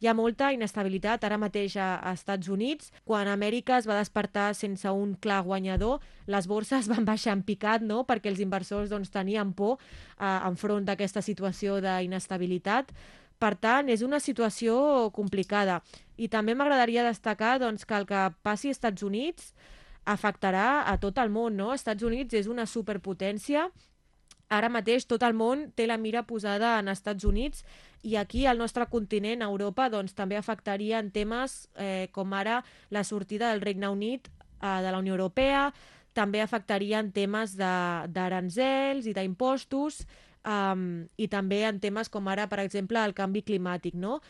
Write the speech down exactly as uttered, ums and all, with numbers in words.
hi ha molta inestabilitat ara mateix a, a Estats Units. Quan Amèrica es va despertar sense un clar guanyador, les borses van baixar en picat, no?, perquè els inversors doncs, tenien por eh, enfront d'aquesta situació d'inestabilitat. Per tant, és una situació complicada. I també m'agradaria destacar doncs, que el que passi als Estats Units afectarà a tot el món, no? Estats Units és una superpotència. Ara mateix tot el món té la mira posada en Estats Units i aquí al nostre continent, a Europa, doncs, també afectaria en temes eh, com ara la sortida del Regne Unit eh, de la Unió Europea, també afectaria en temes d'aranzels i d'impostos, um, i també en temes com ara, per exemple, el canvi climàtic, no?